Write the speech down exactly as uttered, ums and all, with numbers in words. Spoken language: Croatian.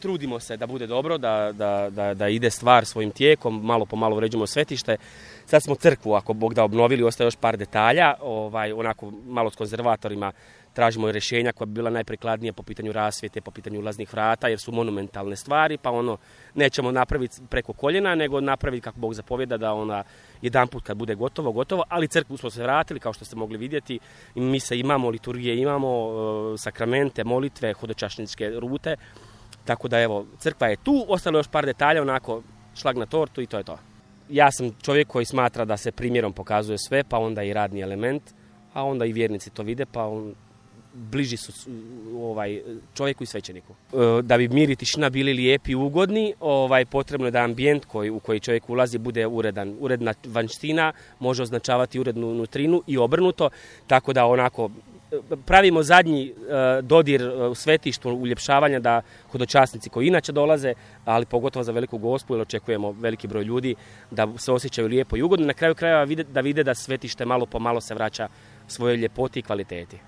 Trudimo se da bude dobro, da, da, da, da ide stvar svojim tijekom, malo po malo uređujemo svetište. Sad smo crkvu, ako Bog da, obnovili, ostaje još par detalja, ovaj, onako malo s konzervatorima tražimo rješenja koja bi bila najprikladnija po pitanju rasvjete, po pitanju ulaznih vrata, jer su monumentalne stvari, pa ono nećemo napraviti preko koljena, nego napraviti kako Bog zapovjeda da ona jedan put kad bude gotovo, gotovo, ali crkvu smo se vratili, kao što ste mogli vidjeti, i mi se imamo, liturgije imamo, sakramente, molitve, hodočašničke rute. Tako da evo, crkva je tu, ostalo još par detalja, onako šlag na tortu i to je to. Ja sam čovjek koji smatra da se primjerom pokazuje sve, pa onda i radni element, a onda i vjernici to vide, pa on, bliži su ovaj, čovjeku i svećeniku. Da bi mir i tišina bili lijepi i ugodni, ovaj, potrebno je da ambijent koji, u koji čovjek ulazi bude uredan. Uredna vanjština može označavati urednu nutrinu i obrnuto, tako da onako pravimo zadnji uh, dodir u svetištu, uljepšavanja da hodočasnici koji inače dolaze, ali pogotovo za veliku gospu, jer očekujemo veliki broj ljudi, da se osjećaju lijepo i ugodno. Na kraju krajeva vide, da vide da svetište malo po malo se vraća svojoj ljepoti i kvaliteti.